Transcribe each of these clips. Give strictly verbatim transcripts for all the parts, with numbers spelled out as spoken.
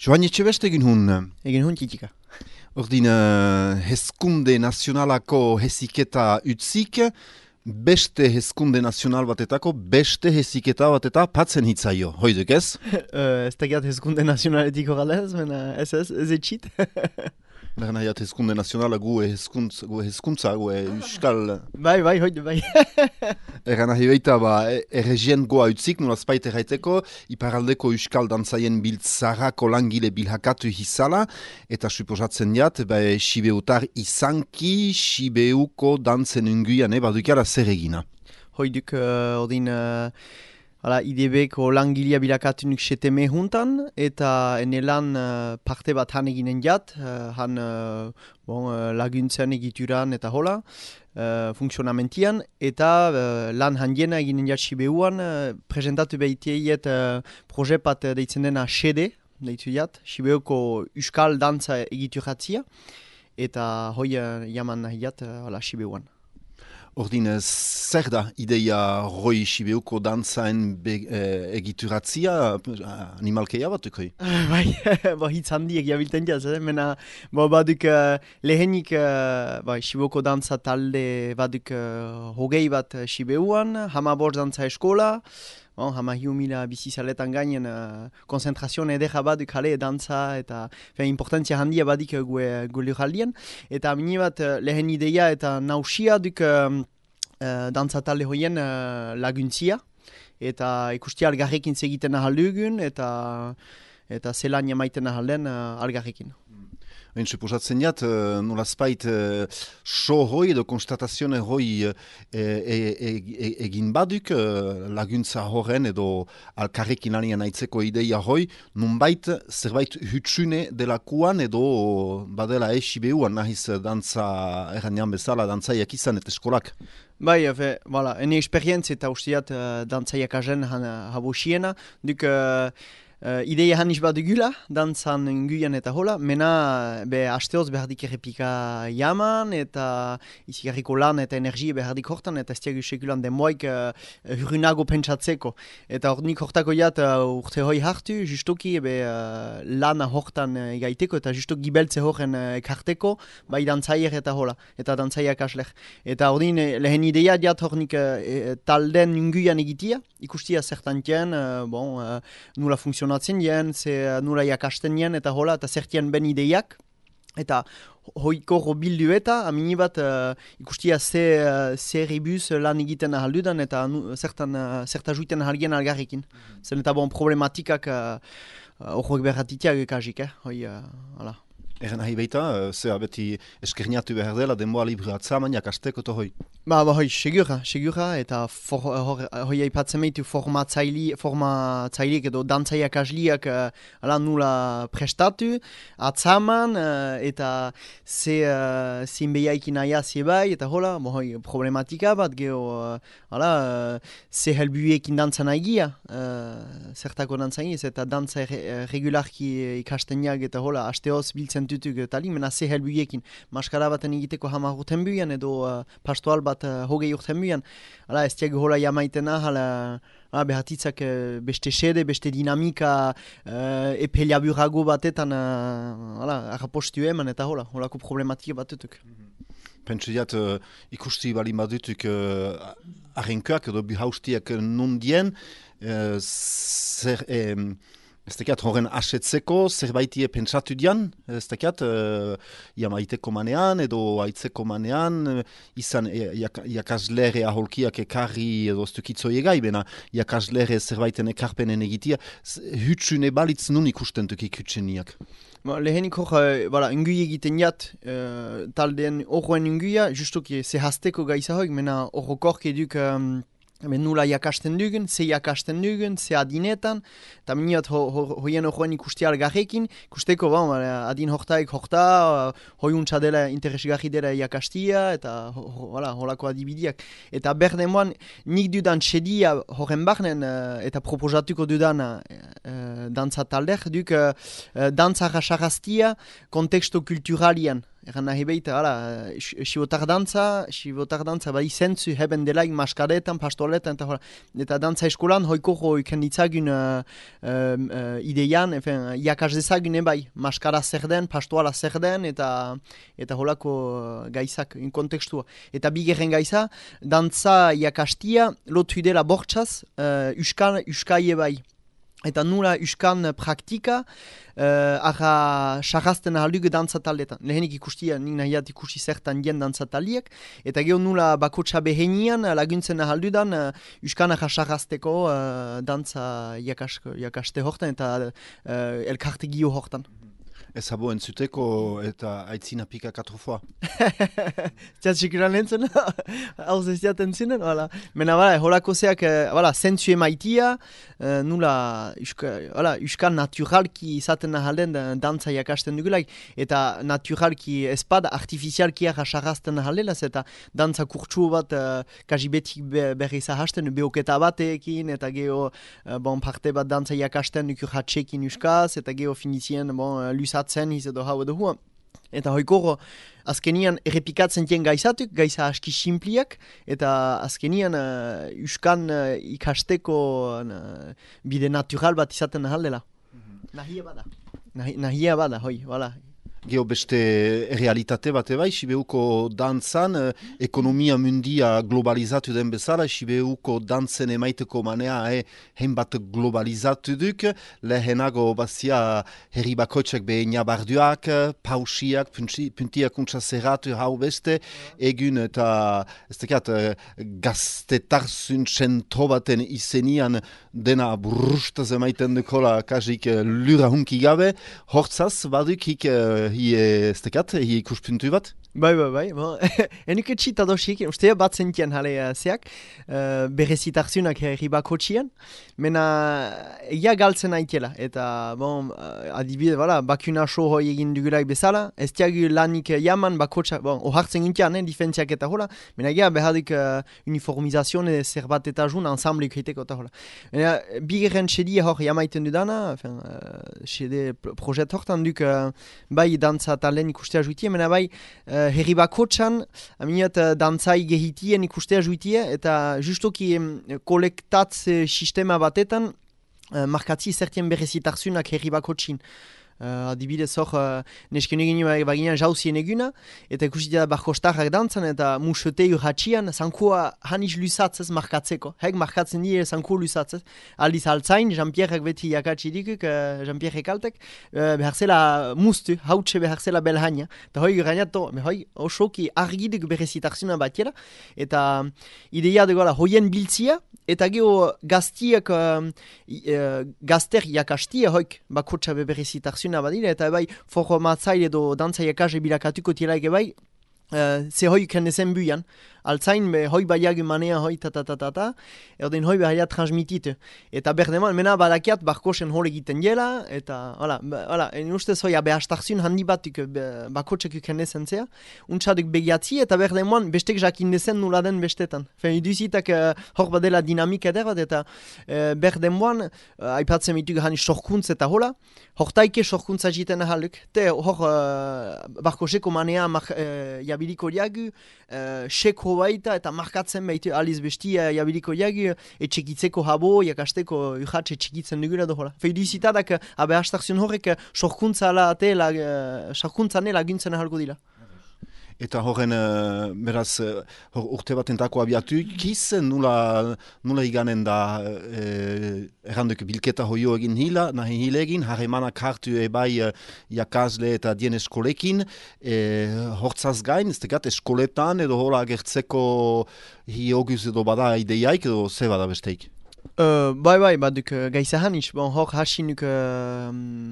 Joan Etxebeste egin hun. Egin hun txitika. Ordin, uh, hezkunde nazionalako heziketa utzik, beste hezkunde nazional batetako, beste heziketa bateta patzen hitzaio. Hoiduk ez? uh, ez tegiat hezkunde nazionaletiko galez, mena ez ez, ez etxit. Naren haiat hezkunde nazionala gu hezkuntza, gu hezkuntza, gu euskal... Bai, bai, hoide, bai. Eran nahi baita, ba, erregien goa utzik, nolaz baita erraiteko, iparaldeko euskal dantzaien biltzarako langile bilhakatu hizala, eta suposatzen jat, ba, Sibeutar izanki, Sibeuko dantzen unguian, eh, badukara zer egina. Hoiduk, uh, odin... Uh... Hala, I D B-ko langilea bilakatunik seteme juntan, eta ene lan uh, parte bat han eginen jat, uh, han uh, bon, uh, laguntzen egituran eta hola, uh, funksionamentian, eta uh, lan handiena eginen jat Sibeuan, uh, presentatu behiteiet uh, proje bat uh, deitzen dena S E D E, deitu jat, Sibeuko euskal dantza egituratzia, eta hoi uh, jaman nahi jat, uh, hala, Sibeuan. Ordin, zer da ideia roi Sibeuko dantzaen eh, egituratzia animalkeia batukoi? Uh, bai, ba, hitz handiek jabilten jaz, eh? Mena, ba, baduk uh, lehenik uh, ba, Sibeuko dantza talde baduk uh, hogei bat uh, Sibeuan, hamabor dantza eskola, bon, hama hiu mila bizizaletan gainen uh, konzentrazioan edera baduk jale dantza eta fe, importantzia handia badik uh, gue, gue lurraldien. Eta mini bat uh, lehen ideia eta nausia duk uh, uh, dantza talde hoien uh, laguntzia. Eta ikustia algarrekin segiten ahaldugun eta, eta zelan jamaiten ahalden uh, algarrekin. Hain, suposatzen jat, uh, nolazpait uh, so hoi edo konstatazione hoi uh, e, e, e, egin baduk uh, laguntza horren edo alkarrekin alien aitzeko ideia hoi, nunbait zerbait hutsune delakuan edo badela esibeuan nahiz dantza erranean bezala dantzaiak izan eta eskolak. Bai, efe, voilà, ene esperientzia eta usteat uh, dantzaiak azen habosiena, duk... Uh, Uh, ideia haniz bat dugula, dantzan nguian eta hola, mena be hasteoz behardik errepika jaman, eta izigarriko lan eta energia behardik hortan, eta ez diagu sekulan demoik uh, hurrunago pentsatzeko. Eta hor nik hortako jat uh, urte hoi hartu, justoki be uh, lana hortan uh, gaiteko, eta justok gibeltze horren uh, ekarteko, bai dantzaier eta hola, eta dantzaiak asler. Eta hor din, lehen ideia jat hor nik uh, talden nguian egitia, ikustia zertantien, uh, bon, uh, nula funtzionatzen dien, ze nura jakasten dien, eta hola, eta zertien ben ideiak. Eta hoiko bildu eta, amini bat uh, ikustia ze, uh, ze ribuz lan egiten ahaldudan, eta nu, zertan, uh, zerta juiten ahalgien algarrekin. Mm-hmm. Zen eta bon problematikak horrek uh, berratitiak ekazik, eh? Hoi, uh, hala. Eren nahi baita, zera beti eskerniatu behar dela, denboa libru atzamaniak asteko to hoi. Ba, ba, hoi, segura, segura, eta for, hor, hoi aipatzen meitu formatzaili, formatzaileak edo dantzaiak asliak uh, ala nula prestatu, atzaman, uh, eta ze uh, zinbeiaikin aia zebai, eta hola, bo, hoi, problematika bat, geho, uh, ala, uh, ze helbuekin dantzan aigia, uh, zertako dantzan egiz, eta dantza re, regularki ikasteniak, eta hola, hasteoz biltzen tutuk tali, mena ze helbuekin. Maskara baten egiteko hamar urten buian, edo uh, pastoal bat uh, hogei urten buian. Hala, ez diago hola jamaitena, hala, hala behatitzak uh, beste sede, beste dinamika, uh, epe laburago batetan, uh, hala, arrapostu eman, eta hola, holako problematika bat tutuk. Pentsu diat, uh, ikusti balin badutuk uh, arrenkoak edo bihaustiak nundien, uh, zer... Eh, Ez tekiat horren asetzeko, zerbaitie pentsatu dian, ez tekiat, uh, jamaiteko manean edo aitzeko manean, izan e, jak, jakaslere aholkiak ekarri edo stukitzoi egai, bena jakaslere zerbaiten ekarpenen egitia, hutsune balitz nun ikusten tukik hutseniak. Ba, lehenik hor, uh, voilà, ungui egiten jat, uh, taldean horren unguia, justoki zehazteko gaiza hoik, mena horrokork eduk... Um, Ben nula jakasten dugun, ze jakasten dugun, ze adinetan, eta miniat hoien ho, ho, horren ikusti algarrekin, ikusteko ba, adin hortaik horta, hoi untsa dela interesgarri dela jakastia, eta ho, ho, voilà, holako adibidiak. Eta berdemoan, nik dudan txedia horren barnen, eta proposatuko dudan uh, dantza talder, duk uh, dantza rasaraztia konteksto kulturalian. Egan nahi behita, hala, sibotar dantza, sibotar dantza, bai zentzu heben delaik maskaretan, pastoletan, eta, eta dantza eskolan hoiko hoiken ditzagun uh, um, uh, ideian, efen, iakaz dezagun ebai, maskara zer den, pastoala zer den, eta, eta holako uh, gaizak, in kontekstua. Eta bigerren gaiza, dantza iakastia, lotu dela bortxaz, uh, uskan, uskai ebai. Eta nula uskan praktika, uh, arra sarrazten ahaldugu dantzataldetan. Lehenik ikustia, nik nahiat ikusi zertan dien dantzataliek, eta geho nula bakotxa behenian laguntzen ahaldudan uh, uskan arra sarrazteko uh, dantza jakaste hortan eta uh, elkarte gio hortan. Ez habo entzuteko eta aitzina pika katrofoa. Ziat sikuran entzun, hau zeziat entzunen, voilà. Mena, voilà, holako zeak, voilà, zentzu emaitia, uh, nula, uska, voilà, uskan naturalki izaten ahalen dantza jakasten dugulaik, eta naturalki espada artifizialki arra sarrazten ahalelaz, eta dantza kurtsu bat, uh, kaji betik be, berri zahasten, beoketa batekin, eta geho, uh, bon, parte bat dantza jakasten dukur hatxekin uskaz, eta geho finizien, bon, lusa zen his edo hau edo hua. Eta hoikoro azkenian errepikatzen tien gaizatuk, gaiza aski simpliak, eta azkenian uh, uskan uh, ikasteko uh, bide natural bat izaten ahaldela. Mm-hmm. Nahia bada. Nahi, nahia bada, hoi, voilà. Geo beste realitate bat ebai, Sibeuko dantzan, eh, ekonomia mundia globalizatu den bezala, Sibeuko dantzen emaiteko manea eh, hein bat globalizatu duk, lehenago bazia herri bakoitzak behin jabarduak, pausiak, puntiak untsa zerratu hau beste, egun eta ez tekat gaztetarzun txentro baten izenian dena burrustaz emaiten dukola kasik lura hunki gabe, hortzaz badukik hi ez tekat, hi ikuspuntu bat? Bai, bai, bai. Bon. Enuk etxit adosik, ustea bat zentien jale uh, zeak, uh, berezitarzunak herri bakotxian, mena egia galtzen aitela. Eta, bon, uh, adibide, voilà, bakuna show hoi egin dugulaik bezala, ez tiagu lanik jaman bakotxa, bon, ohartzen gintian, eh, difentziak eta hola, mena egia behadik uh, uniformizazion zer bat eta jun, ensamblik hiteko eta hola. Mena, bigerren txedie hor jamaiten dudana, enfin, uh, txede projet hortan duk, uh, bai dantza talen ikustea juitie, mena bai, uh, herri bakotxan, aminat uh, dantzai gehitien ikustea juitie, eta justoki um, kolektatze sistema batetan uh, markatzi zertien berezitarzunak herri bakotxin. Uh, adibidez hor, uh, nesken egin baginan jauzien eguna, eta ikusitea barkostarrak dantzan, eta musete urratxian, zankua haniz lusatzez markatzeko. Hek markatzen die zanku lusatzez. Aldiz altzain, Jean-Pierrek beti jakatsi dikuk, uh, Jean-Pierre kaltek, uh, beharzela mustu, hautse beharzela belhaina. Eta hoi gurainato, hoi osoki argidik berezitarzuna batiera, eta ideia dugu hoien biltzia, eta geho gaztiak, uh, uh, gazter jakastia hoik bakotxa beberezitarzuna badira, eta bai formatzaile edo dantza jakase bilakatuko tielaik bai, uh, ze hoi kendezen buian. Altzain, be, hoi baiag manea hoi ta-ta-ta-ta-ta, erden hoi behaiat transmititu. Eta berdeman, mena badakiat barkosen hor egiten dela, eta, hala, hala, en ustez hoi abehastarzun handi batuk bakotxek ukendezen zea, untsaduk begiatzi, eta berdeman, bestek jakindezen nula den bestetan. Fen, iduzitak uh, hor badela dinamik eder bat, eta uh, berdeman, uh, aipatzen mituk hani sorkuntz eta hola, hortaike sorkuntza jiten ahaluk, te hor uh, barkoseko manea mar, uh, jabiliko diagu, uh, seko baita eta markatzen baitu aliz bestia jabiliko jagi etxekitzeko habo, jakasteko urratxe txikitzen dugula dohola. Feudizitadak abehastarzun horrek sorkuntza sorkuntzane laguntzen ahalko dira. Eta horren, uh, beraz, uh, hor urte bat entako abiatu, kiz nula, nula iganen da uh, erranduk bilketa hoio egin hila, nahi hile egin, harremanak hartu ebai uh, jakazle eta dien eskolekin, uh, hortzaz gain, ez tegat eskoletan edo hola agertzeko hi oguz edo bada ideiaik edo ze bada besteik? Uh, bai, bai, baduk uh, gaiza haniz. Bon, hor hasinuk uh,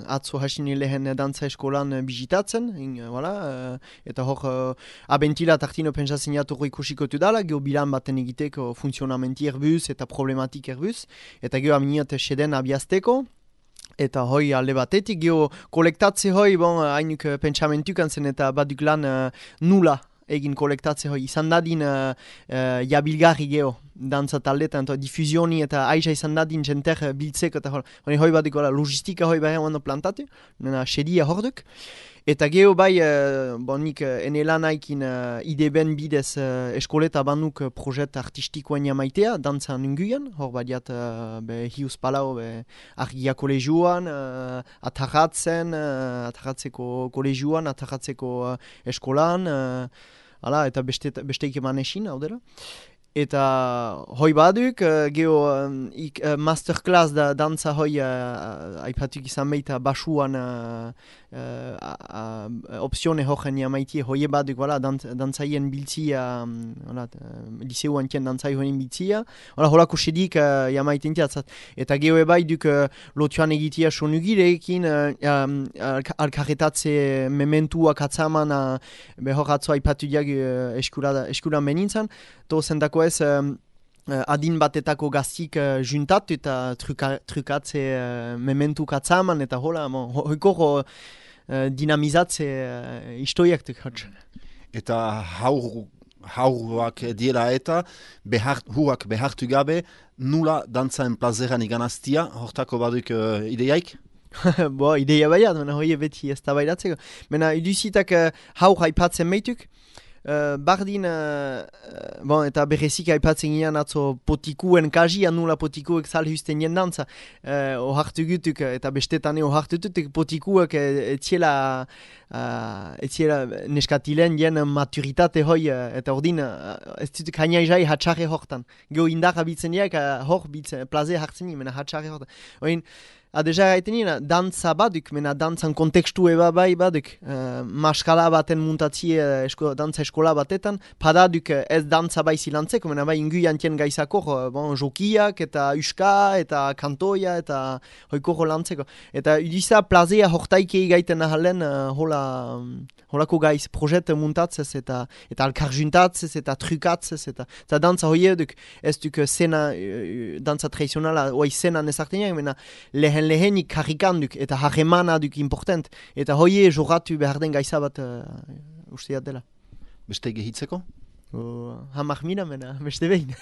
atzo hasini lehen dantza eskolan uh, bizitatzen, in, uh, voilà, uh, eta hor uh, abentila tartino pentsatzen jaturro ikusikotu dala, geho bilan baten egiteko funtzionamenti erbuz eta problematik erbuz, eta geho aminiat seden abiazteko. Eta hoi alde batetik, geho kolektatze hoi, bon, hainuk uh, pentsamentukan zen eta baduk lan uh, nula egin kolektatze hoi, izan dadin uh, uh, jabilgarri geho dantza taldetan, eta difusioni eta aiza izan dadin jenter biltzeko eta hori hoi bat dikola logistika hoi behar ondo plantatu, nena sedia hor duk. Eta geho bai, uh, bon, nik uh, ene lanaikin uh, ideben bidez uh, eskoleta banuk uh, projet artistikoen jamaitea, dantzan unguian, hor badiat uh, be hius palau be argia kolegioan, uh, atarratzen, uh, atarratzeko kolegioan, atarratzeko uh, eskolan, uh, ala, eta beste, besteik eman esin, hau dela. Eta hoi baduk, uh, geho um, ik, uh, masterclass da dantza hoi uh, aipatuk izan behita basuan uh, uh, uh, opzione hoxen jamaitie hoi baduk, voilà, dant, dantzaien biltzia, um, voilà, uh, liseu antien dantzai hoien biltzia, voilà, holako sedik uh, jamaiten tiatzat. Eta geho ebai duk uh, lotuan egitea sonugirekin, uh, um, alkarretatze mementuak atzaman, uh, behor atzo aipatu diag uh, eskura, eskura menintzan, to zendako ez um, uh, adin batetako gaztik uh, juntatu eta truka, trukatze uh, mementu katzaman eta hola, bon, ho, hoiko uh, dinamizatze uh, istoiak duk hatz. Eta haur, hauruak diela eta behart, huak behartu gabe nula dantzaen plazeran iganaztia, hortako baduk uh, ideiaik? Bo, ideia baiat, mena hoi beti ez da baidatzeko. Mena iduzitak uh, haur haipatzen meituk, Uh, bardin, uh, uh, bon, eta berrezik aipatzen ginean atzo potikuen kajia nula potikuek salhusten jendantza. Uh, ohartu gutuk, eta bestetane ohartu gutuk, potikuek etziela uh, etziela neskatilen jen maturitate hoi, uh, eta ordin, uh, ez dutuk haina jai hatxarre hortan. Geo indar abitzen diak, uh, hor bitzen, plaze hartzen ni, mena hatxarre hortan. Oin, adeja gaiten nina, dantza baduk, mena dantzan kontekstu eba bai baduk. Uh, maskala baten muntatzie uh, esko, dantza eskola batetan, padaduk uh, ez dantza bai zilantzeko, mena bai ingu jantien gaizakor, uh, bon, jokiak eta uska eta kantoia eta hoikoro lantzeko. Eta udiza plazea hortaikei gaiten ahalen uh, hola, um, holako gaiz projet muntatzez eta eta alkar juntatzez eta trukatzez eta, eta dantza hoi eduk ez duk zena, uh, dantza tradizionala, oai zena nezarteneak, mena lehen lehenik karrikanduk eta harremana duk important. Eta hoie joratu behar den gaiza bat uh, usteat dela. Beste gehitzeko? Uh, hamak mina mena, beste behin.